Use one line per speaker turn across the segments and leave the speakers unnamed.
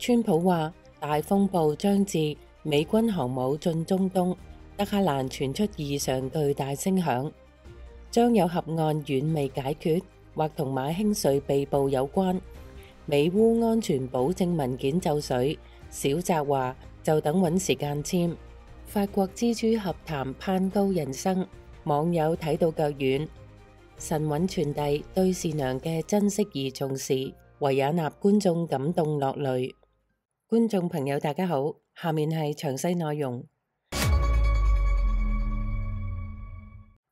川普話大風暴將至，美軍航母進中東，德黑蘭傳出異常巨大聲響，將有核案遠未解決，或同馬興瑞被捕有關。美烏安全保證文件就緒，小澤話就等揾時間簽。法國蜘蛛俠談攀高人生，網友睇到腳軟。神韻傳遞對善良嘅珍惜而重視，維也納觀眾感動落淚。觀眾朋友大家好，下面係詳細內容。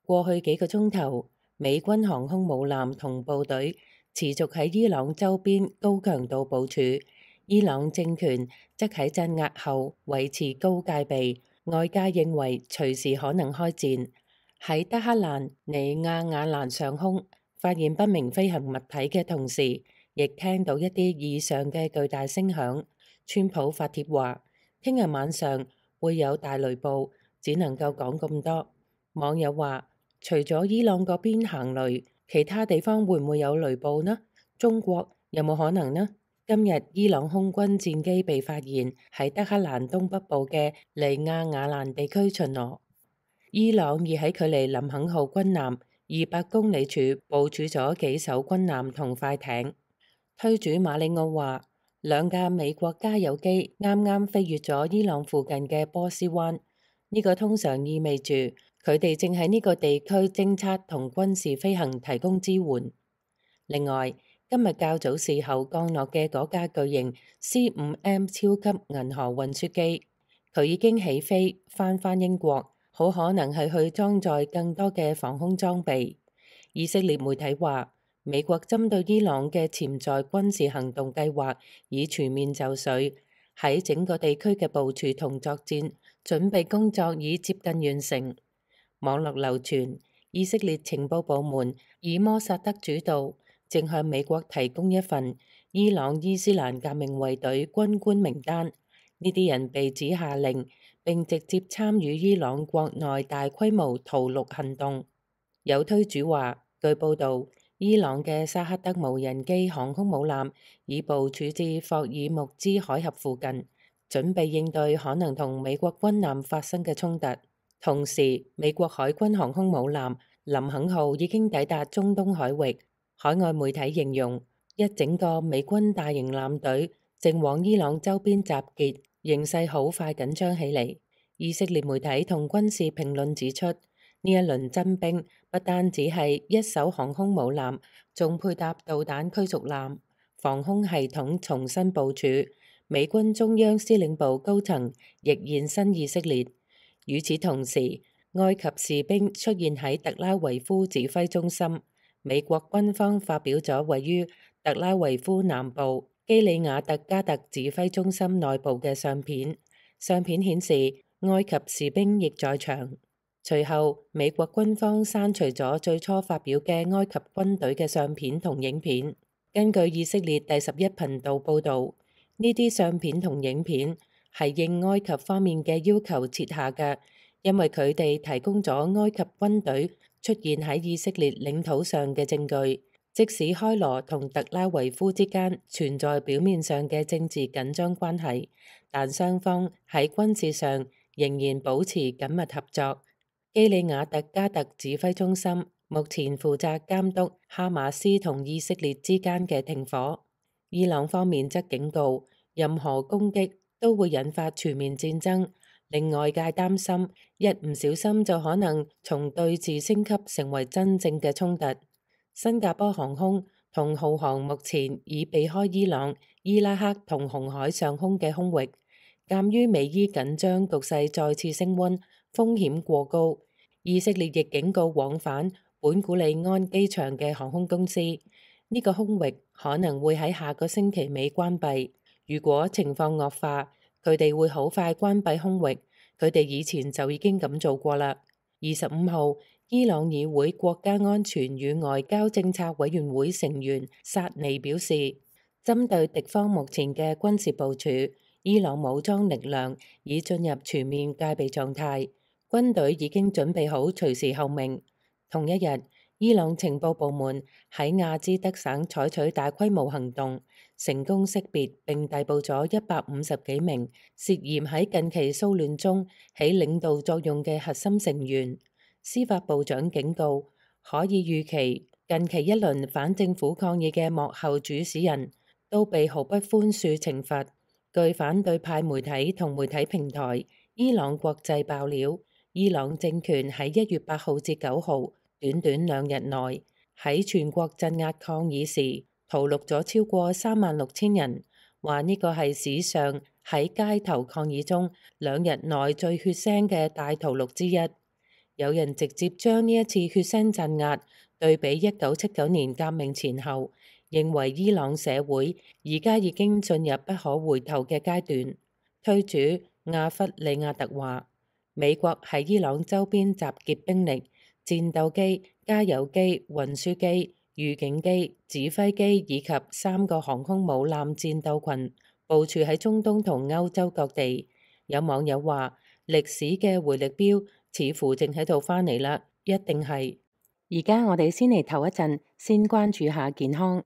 過去幾個鐘頭，美軍航空母艦同部隊持續喺伊朗周邊高強度部署，伊朗政權則喺鎮壓後維持高戒備，外界認為隨時可能開戰。喺德黑蘭尼亞瓦蘭上空發現不明飛行物體嘅同時，亦聽到一啲異常嘅巨大聲響。川普發帖話，聽日晚上會有大雷暴，只能夠講咁多。網友話，除咗伊朗嗰邊行雷，其他地方會唔會有雷暴呢？中國有冇可能呢？今日伊朗空軍戰機被發現喺德黑蘭東北部嘅尼亞瓦蘭地區巡邏。伊朗已喺距離林肯號軍艦200公里處部署咗幾艘軍艦同快艇。推主馬里奧話，兩架美國加油機啱啱飛越咗伊朗附近嘅波斯灣，呢個通常意味住佢哋正喺呢個地區偵測同軍事飛行提供支援。另外，今日較早時候降落嘅嗰架巨型 C5M 超級銀河運輸機，佢已經起飛返英國，好可能係去裝載更多嘅防空裝備。以色列媒體話，美國針對伊朗嘅潛在軍事行動計劃已全面就緒，喺整個地區嘅部署同作戰準備工作已接近完成。網絡流傳，以色列情報部門以摩薩德主導，正向美國提供一份伊朗伊斯蘭革命衛隊軍官名單。呢啲人被指下令並直接參與伊朗國內大規模屠戮行動。有推主話，據報道，伊朗嘅沙克德無人機航空母艦已部署至霍爾木茲海峽附近，準備應對可能同美國軍艦發生嘅衝突。同時，美國海軍航空母艦林肯號已經抵達中東海域。海外媒體形容，一整個美軍大型艦隊正往伊朗周邊集結，形勢好快緊張起嚟。以色列媒體同軍事評論指出，呢一輪增兵不單只係一艘航空母艦，仲配搭導彈驅逐艦，防空系統重新部署。美軍中央司令部高層亦現身以色列。與此同時，埃及士兵出現喺特拉維夫指揮中心。美國軍方發表咗位於特拉維夫南部基里亞特加特指揮中心內部嘅相片，相片顯示埃及士兵亦在場。隨後，美國軍方刪除咗最初發表嘅埃及軍隊嘅相片同影片。根據以色列第11頻道報導，呢啲相片同影片係應埃及方面嘅要求設下嘅，因為佢哋提供咗埃及軍隊出現喺以色列領土上嘅證據。即使開羅同特拉維夫之間存在表面上嘅政治緊張關係，但雙方喺軍事上仍然保持緊密合作。基里亞特加特指揮中心目前負責監督哈馬斯同以色列之間嘅停火。伊朗方面則警告，任何攻擊都會引發全面戰爭，令外界擔心一唔小心就可能從對峙升級成為真正嘅衝突。新加坡航空同浩航目前已避開伊朗、伊拉克同紅海上空嘅空域。鑑於美伊緊張局勢再次升溫，風險過高，以色列亦警告往返本古里安機場嘅航空公司，呢個空域可能會喺下個星期尾關閉。如果情況惡化，佢哋會好快關閉空域。佢哋以前就已經咁做過啦。25號，伊朗議會國家安全與外交政策委員會成員薩尼表示，針對敵方目前嘅軍事部署，伊朗武裝力量已進入全面戒備狀態，軍隊已經準備好隨時候命。同一日，伊朗情報部門喺亞茲德省採取大規模行動，成功識別並逮捕咗150幾名涉嫌喺近期騷亂中起領導作用嘅核心成員。司法部長警告，可以預期近期一輪反政府抗議嘅幕後主使人都被毫不寬恕懲罰。據反對派媒體同媒體平台伊朗國際爆料，伊朗政權喺1月8號至9號短短2日內喺全國鎮壓抗議時屠戮咗超過36000人，話呢個係史上喺街頭抗議中2日內最血腥嘅大屠戮之一。有人直接將呢一次血腥鎮壓對比1979年革命前後，認為伊朗社會而家已經進入不可回頭嘅階段。推主阿弗里亞特話，美國喺伊朗周邊集結兵力、戰鬥機、加油機、運輸機、預警機、指揮機以及3個航空母艦戰鬥群部署喺中東同歐洲各地。有網友話，歷史嘅回力鏢似乎正喺度返嚟啦，一定係。而家我哋先嚟唞一陣，先關注下健康。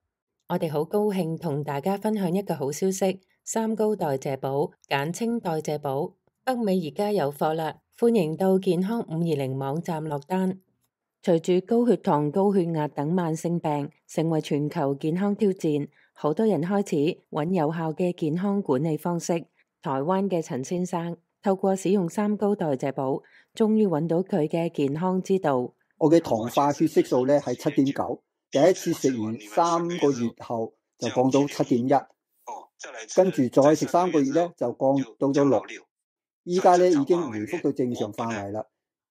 我哋好高興同大家分享一個好消息，3高代謝寶，簡稱代謝寶，北美而家有貨啦，歡迎到健康520網站落單。隨住高血糖、高血壓等慢性病成為全球健康挑戰，好多人開始揾有效嘅健康管理方式。台灣嘅陳先生透過使用3高代謝寶，終於揾到佢嘅健康之道。
我嘅糖化血色素咧係7.9，第一次食完3個月後就降到7.1，跟住再食3個月咧就降到咗6，依家咧已經回復到正常範圍啦。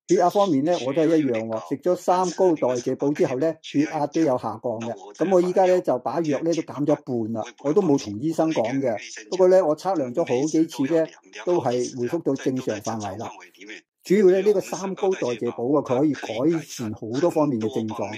血壓方面咧我都係一樣喎，食咗3高代謝寶之後咧血壓都有下降嘅。咁我依家咧就把藥咧都減咗一半啦，我都冇同醫生講嘅。不過咧我測量咗好幾次咧都係回復到正常範圍啦。主要咧呢個3高代謝寶啊，佢可以改善好多方面嘅症狀，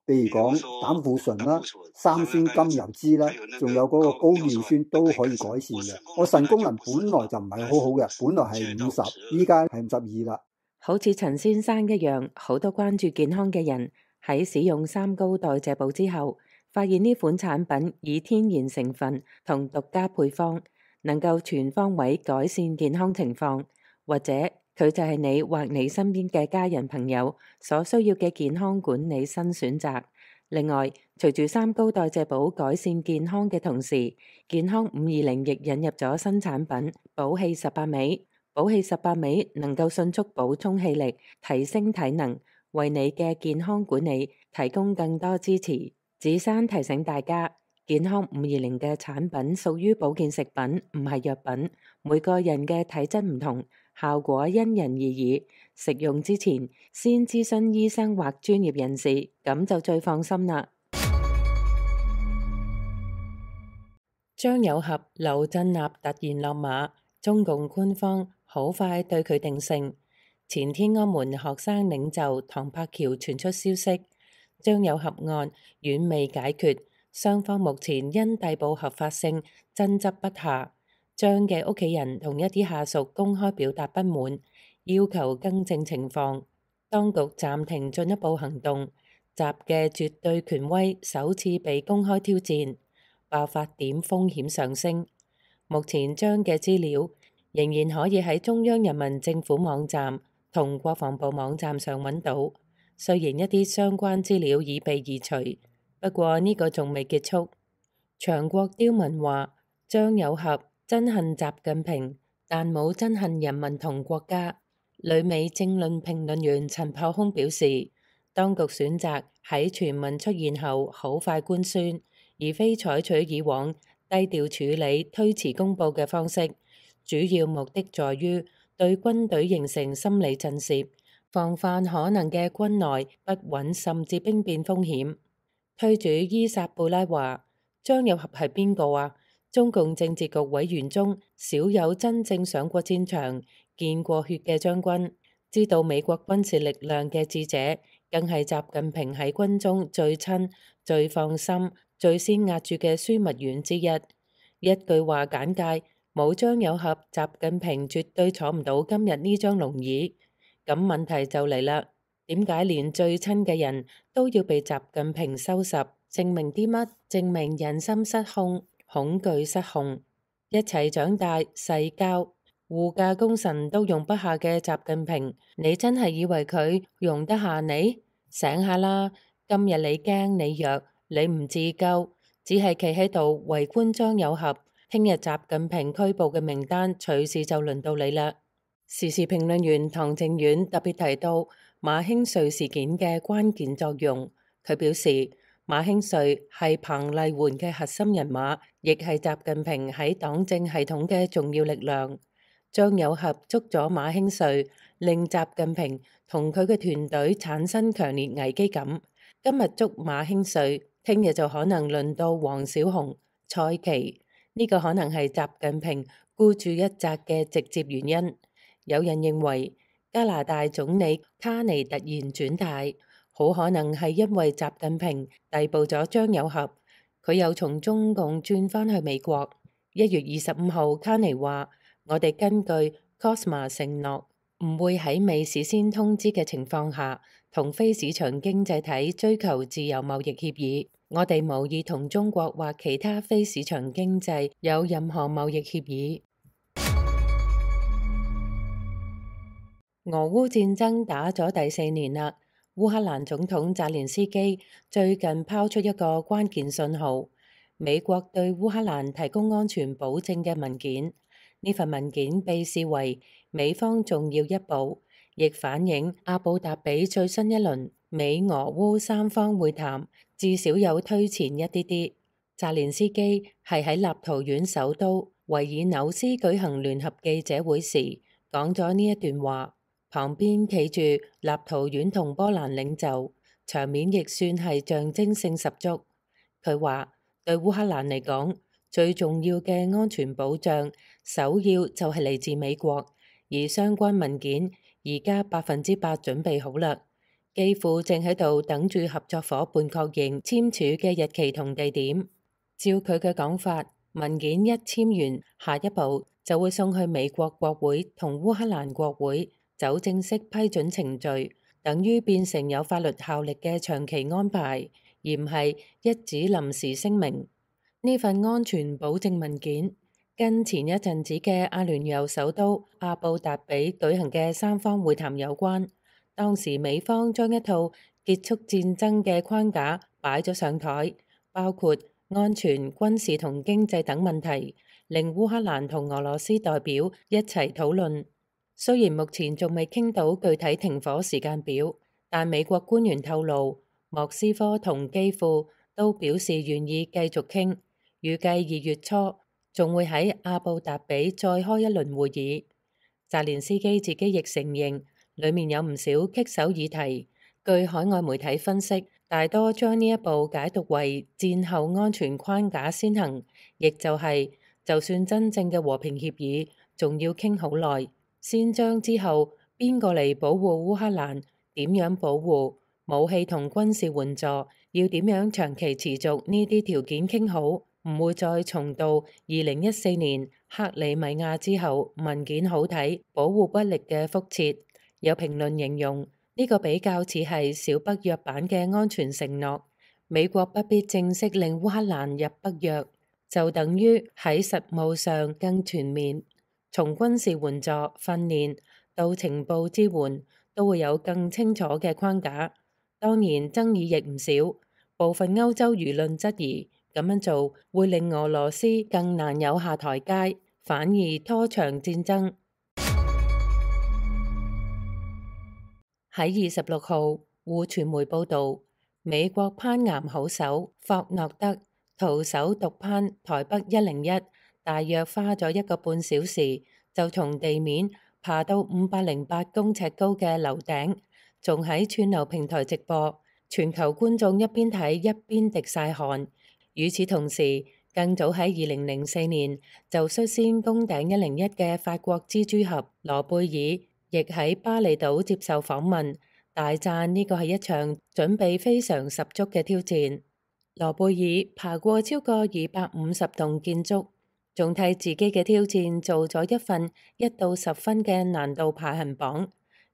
譬如講膽固醇啦、三酸甘油酯啦，仲有嗰個高尿酸都可以改善嘅。我腎功能本來就唔係好好嘅，本來係50，依家係52啦。
好似陳先生一樣，好多關注健康嘅人喺使用3高代謝寶之後，發現呢款產品以天然成分同獨家配方，能夠全方位改善健康情況，或者佢就係你或你身邊嘅家人朋友所需要嘅健康管理新選擇。另外，隨住3高代謝寶改善健康嘅同時，健康520亦引入咗新產品補氣18味。補氣18味能夠迅速補充氣力，提升體能，為你嘅健康管理提供更多支持。子珊提醒大家，健康520嘅產品屬於保健食品，唔係藥品。每個人嘅體質唔同，效果因人而異。食用之前先諮詢醫生或專業人士，咁就最放心啦。張有俠、劉振立突然落馬，中共官方好快對佢定性。前天安門學生領袖唐柏橋傳出消息，張有俠案遠未解決，雙方目前因逮捕合法性爭執不下。張嘅屋企人同一啲下屬公開表達不滿，要求更正情況。當局暫停進一步行動，習嘅絕對權威首次被公開挑戰，爆發點風險上升。目前張嘅資料仍然可以喺中央人民政府網站同國防部網站上揾到，雖然一啲相關資料已被移除，不過呢個仲未結束。長國刁民話，張有俠憎恨習近平，但冇憎恨人民同國家。旅美政論評論員陳炮空表示，當局選擇喺傳聞出現後好快官宣，而非採取以往低調處理、推遲公佈嘅方式，主要目的在於對軍隊形成心理震懾，防範可能嘅軍內不穩甚至兵變風險。推主伊薩布拉話：張有俠係邊個啊？中共政治局委員中少有真正上過戰場、見過血嘅將軍，知道美國軍事力量嘅智者，更係習近平喺軍中最親、最放心、最先壓住嘅樞密院之一。一句話簡介，冇張有俠，習近平絕對坐唔到今日呢張龍椅。咁問題就嚟啦，點解連最親嘅人都要被習近平收拾？證明啲乜？證明人心失控，恐懼失控，一齊長大、世交、護駕功臣都容不下嘅習近平，你真係以為佢容得下你？醒下啦！今日你驚你弱，你唔自救，只係企喺度圍觀張有俠。聽日習近平拘捕嘅名單隨時就輪到你啦。時事評論員唐靖遠特別提到馬興瑞事件嘅關鍵作用，佢表示馬興瑞係彭麗媛嘅核心人馬，亦係習近平喺黨政系統嘅重要力量。張有俠捉咗馬興瑞，令習近平同佢嘅團隊產生強烈危機感。今日捉馬興瑞，聽日就可能輪到王小洪、蔡奇，呢個可能係習近平孤注一擲嘅直接原因。有人認為加拿大總理卡尼突然轉態，好可能係因為習近平逮捕咗張有俠，佢又從中共轉返去美國。1月25號，卡尼話：我哋根據 COSMA 承諾，唔會喺未事先通知嘅情況下，同非市場經濟體追求自由貿易協議。我哋無意同中國或其他非市場經濟有任何貿易協議。俄烏戰爭打咗第4年啦，烏克蘭總統澤連斯基最近拋出一個關鍵信號，美國對烏克蘭提供安全保證嘅文件。呢份文件被視為美方重要一步，亦反映阿布達比最新一輪美俄烏三方會談至少有推前一啲啲。澤連斯基係喺立陶宛首都維爾紐斯舉行聯合記者會時講咗呢一段話。旁邊企住立陶宛同波蘭領袖，場面亦算係象徵性十足。佢話對烏克蘭嚟講，最重要嘅安全保障首要就係嚟自美國，而相關文件而家100%準備好啦，幾乎正喺度等住合作伙伴確認簽署嘅日期同地點。照佢嘅講法，文件一簽完，下一步就會送去美國國會同烏克蘭國會走正式批准程序，等於變成有法律效力嘅長期安排，而唔係一紙臨時聲明。呢份安全保證文件跟前一陣子嘅阿聯酋首都阿布達比舉行嘅三方會談有關。當時美方將一套結束戰爭嘅框架擺咗上台，包括安全、軍事同經濟等問題，令烏克蘭同俄羅斯代表一齊討論。雖然目前仲未傾到具體停火時間表，但美國官員透露，莫斯科同基輔都表示願意繼續傾，預計2月初仲會喺阿布達比再開一輪會議。澤連斯基自己亦承認，裡面有唔少棘手議題。據海外媒體分析，大多將呢一步解讀為戰後安全框架先行，亦就係就算真正嘅和平協議，仲要傾好耐。先將之後邊個嚟保護烏克蘭，點樣保護武器同軍事援助，要點樣長期持續呢啲條件傾好，唔會再重蹈2014年克里米亞之後文件好睇保護不力嘅覆轍。有評論形容呢個比較似係小北約版嘅安全承諾，美國不必正式令烏克蘭入北約，就等於喺實務上更全面。從軍事援助、訓練到情報支援，都會有更清楚嘅框架。當然爭議亦唔少，部分歐洲輿論質疑咁樣做會令俄羅斯更難有下台階，反而拖長戰爭。喺26號，互傳媒報導，美國攀岩好手霍諾德徒手獨攀台北101。大約花咗1個半小時，就從地面爬到508公尺高嘅樓頂，仲喺串流平台直播，全球觀眾一邊睇一邊滴晒汗。與此同時，更早喺2004年就率先攻頂101嘅法國蜘蛛俠羅貝爾，亦喺巴厘島接受訪問，大讚呢個係一場準備非常十足嘅挑戰。羅貝爾爬過超過250棟建築，仲替自己嘅挑戰做咗一份1到10分嘅難度排行榜。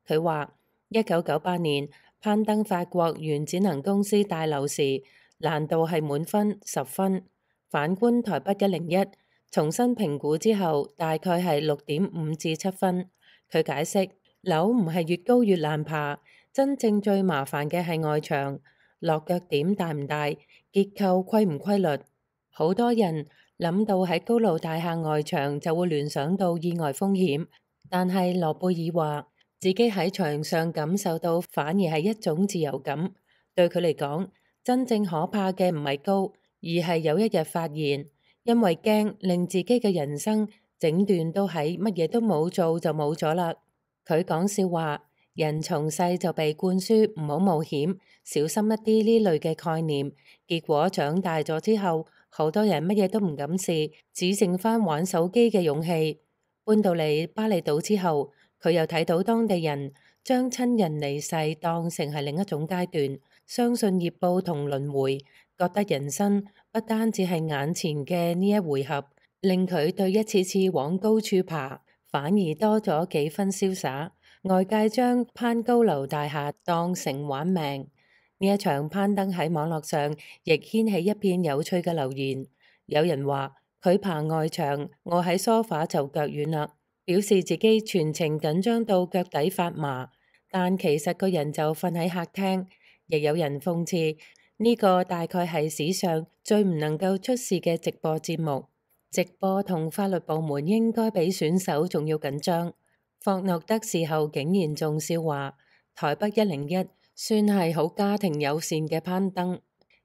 佢話1998年攀登法國原子能公司大樓時，難度係滿分10分。反觀台北101，重新評估之後大概係6.5至7分。佢解釋，樓唔係越高越難爬，真正最麻煩嘅係外牆，落腳點大唔大，結構規唔規律。好多人諗到喺高樓大廈外牆就會聯想到意外風險，但係諾貝爾話自己喺牆上感受到反而係一種自由感。對佢嚟講，真正可怕嘅唔係高，而係有一日發現，因為驚令自己嘅人生整段都喺乜嘢都冇做就冇咗啦。佢講笑話，人從細就被灌輸唔好冒險，小心一啲呢類嘅概念，結果長大咗之後，好多人乜嘢都唔敢試，只剩返玩手機嘅勇氣。搬到嚟巴厘島之後，佢又睇到當地人將親人離世當成係另一種階段，相信業報同輪迴，覺得人生不單只係眼前嘅呢一回合，令佢對一次次往高處爬反而多咗幾分瀟灑。外界將攀高樓大廈當成玩命。呢一場攀登喺網絡上亦掀起一片有趣嘅留言。有人話佢爬外牆，我喺梳化就腳軟啦，表示自己全程緊張到腳底發麻，但其實個人就瞓喺客廳。亦有人諷刺呢個大概係史上最唔能夠出事嘅直播節目。直播同法律部門應該比選手仲要緊張。霍諾德事後竟然仲笑話台北101算係好家庭友善嘅攀登，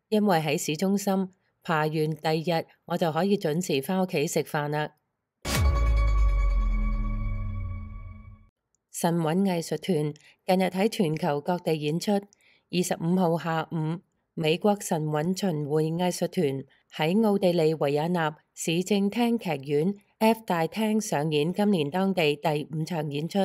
因為喺市中心爬完第二日我就可以準時返屋企食飯啦。神韻藝術團近日喺全球各地演出。25號下午，美國神韻巡迴藝術團喺奧地利維也納市政廳劇院 F 大廳上演今年當地第5場演出。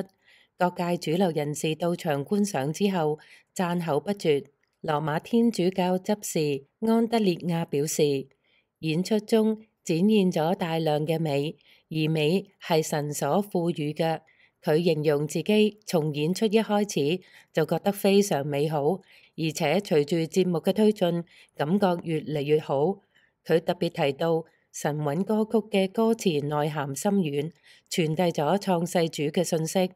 各界主流人士到場觀賞之後，讚口不絕。羅馬天主教執事安德烈亞表示，演出中展現咗大量嘅美，而美係神所賦予嘅。佢形容自己從演出一開始就覺得非常美好，而且隨住節目嘅推進，感覺越嚟越好。佢特別提到神韻歌曲嘅歌詞內涵深遠，傳遞咗創世主嘅信息，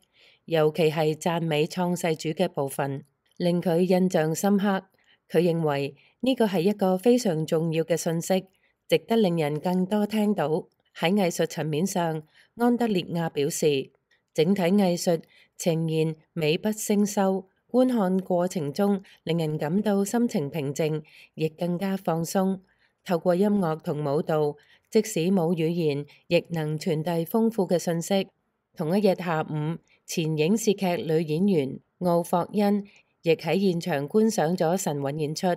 尤其係讚美創世主嘅部分，令佢印象深刻。佢認為呢個係一個非常重要嘅信息，值得令人更多聽到。喺藝術層面上，安德烈亞表示，整體藝術呈現美不勝收，觀看過程中令人感到心情平靜，亦更加放鬆。透過音樂同舞蹈，即使冇語言，亦能傳遞豐富嘅信息。同一日下午，前影視劇女演員奧霍恩亦喺現場觀賞咗神韻演出。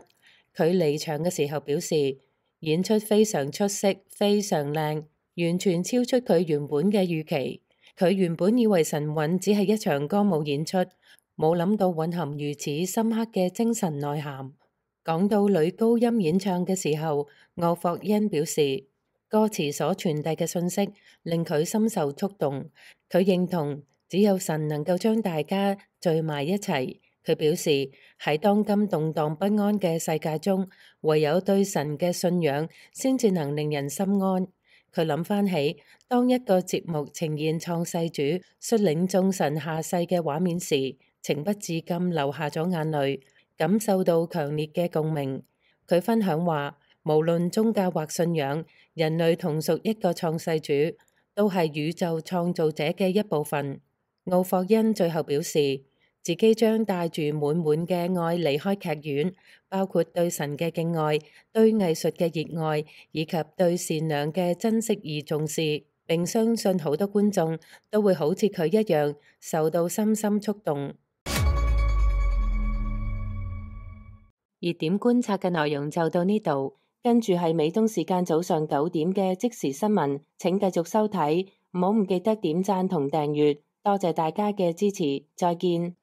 佢離場嘅時候表示，演出非常出色，非常靚，完全超出佢原本嘅預期。佢原本以為神韻只係一場歌舞演出，冇諗到蘊含如此深刻嘅精神內涵。講到女高音演唱嘅時候，奧霍恩表示，歌詞所傳遞嘅信息令佢深受觸動。佢認同只有神能夠將大家聚埋一齊。佢表示，喺當今動盪不安嘅世界中，唯有對神嘅信仰先至能令人心安。佢諗翻起，當一個節目呈現創世主率領眾神下世嘅畫面時，情不自禁流下咗眼淚，感受到強烈嘅共鳴。佢分享話，無論宗教或信仰，人類同屬一個創世主，都係宇宙創造者嘅一部分。奧霍恩最後表示，自己將帶住滿滿嘅愛離開劇院，包括對神嘅敬愛、對藝術嘅熱愛，以及對善良嘅珍惜而重視。並相信好多觀眾都會好似佢一樣受到深深觸動。熱點觀察嘅內容就到呢度，跟住係美東時間早上9點嘅即時新聞，請繼續收睇，唔記得點讚同訂閱，多謝大家嘅支持，再見。